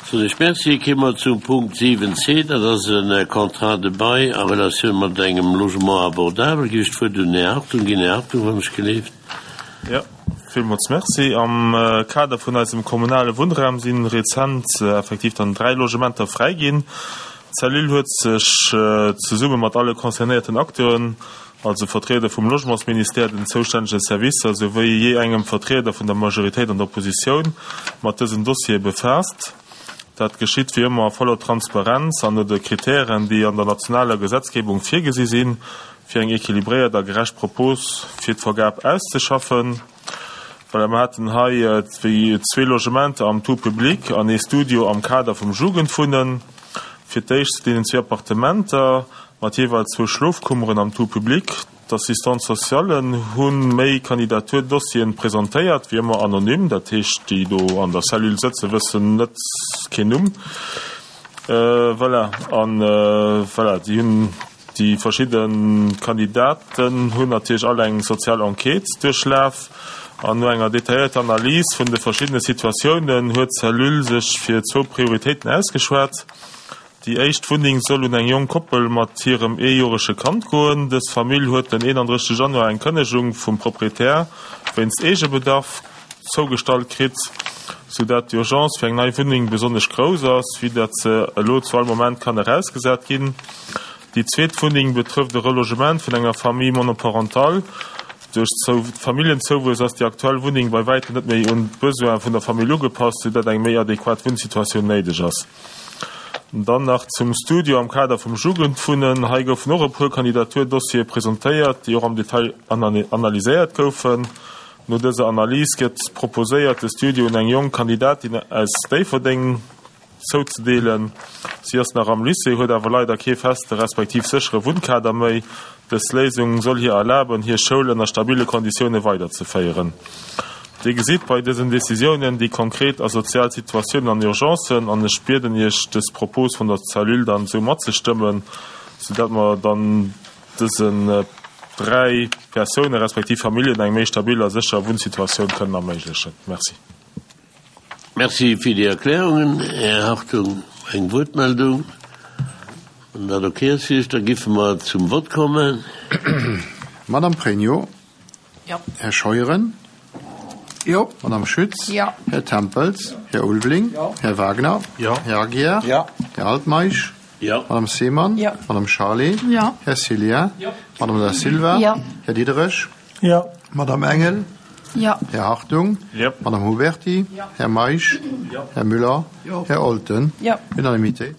Soen ech Merci. Kéime mer zum Punkt 7c, dat ass e Contrat de bail a Relatioun mat engem Logement abordable. Ginn ech d'Wuert un den Här Hartung ginn. Här Hartung, wann ech geleeft. Jo, villmools Merci. Am Kader vun eisem kommunale Wunnraum si rezent effektiv dann 3 Logementer fräi ginn. D'Cellule huet sech zesumme mat alle concernéierten Acteuren, also Vertrieder vum Logementsministère, den zoustännege Servicer souwéi jee engem Vertrieder vun der Majoritéit an der Oppositioun, mat dësen Dossiere befaasst. Dat geschitt wéi ëmmer a voller Transparenz an no de Kritären, déi an der nationaler Gesetzgebung virgesi sinn, fir eng equilibréiert a gerecht Propos fir d'Vergab auszeschaffen. Voilà, mer haten hei zwee Logementer am Tout public an ee Studio am Kader vum Jugendwunnen. Fir d'éischt zu deenen zwee Appartementer mat jeeweils zwou Schlofkummeren am Tout public. D'Assistantes socialen hu méi Kandidaturdossieren presentéiert, wéi ëmmer anonym, dat heescht déi do an der Cellule sëtzen, wëssen net, keen Numm. Voilà, an voilà, déi hunn Déi verschidde Kandidaten hunn natierlech all eng sozial Enquête duerchlaf an no enger detailléierter Analys vun de verschiddene Situatiounen huet d'Cellule sech fir zwou Prioritéiten ausgeschwat. Déi éischt Wunneng soll un eng jonk Koppel mat hirem eejorege Kand goen. Dës Famill huet den 31 Januar eng Kënnegung vum Proprietär wéinst Eegebedarf zougestallt kritt, sou dat d'Urgence fir eng nei Wunneng besonnesch grouss ass, vue dat se elo zu all Moment kann erausgesat ginn. Déi zweet Wunneng betrëfft e Relogement vun enger Famille monoparentale. Duerch Familljenzouwuess ass déi aktuell Wunneng bei wäitem net méi un d'Besoine vun der Famill ugepasst, sou dat eng méi adequat Wunnsituatioun néideg ass. Dann nach zum Studio am Kader vum Jugendwunnen. Hei goufen och e puer Kandidaturdossiere presentéiert, déi och am Detail analyséiert goufen. No dëser Analys gëtt proposéiert, de Studio un eng jonk Kandidatin aus Déifferdeng zouzedeelen. Si ass nach am Lycée, huet awer leider kee feste respektiv séchere Wunnkader méi. Dës Léisung soll hir erlaben, hir Schoul ënner stabile Konditioune weiderzeféieren. Dir gesitt bei dësen Decisiounen déi konkret a sozial Situatiounen an Urgencen an ech bieden Iech, dës Propos vun der Cellule dann esou matzestëmmen, soudatt mer dann dësen 3 Persoune respektiv Familljen eng méi stabil a sécher Wunnsituatioun kënnen erméiglechen. Merci. Merci fir déi Erklärungen, Här Hartung. Eng Wuertmeldung? Wann dat ok ass fir Iech, da giffe mer zum Vott kommen. Madame Pregno. Jo. Här Scheuren. Jo. Madame Schütz. Jo. Här Tempels. Här Ulveling. Jo. Här Wagner. Jo. Här Aguiar. Jo. Här Altmeisch. Jo. Madame Seemann. Jo. Madame Charlé. Jo. Här Cillien. Jo. Madame Da Silva. Jo. Här Diderich. Jo. Madame Engel. Jo. Här Hartung. Jo. Madame Huberty. Jo. Här Meisch. Jo. Här Müller. Jo. Här Olten. Jo. Unanimitéit.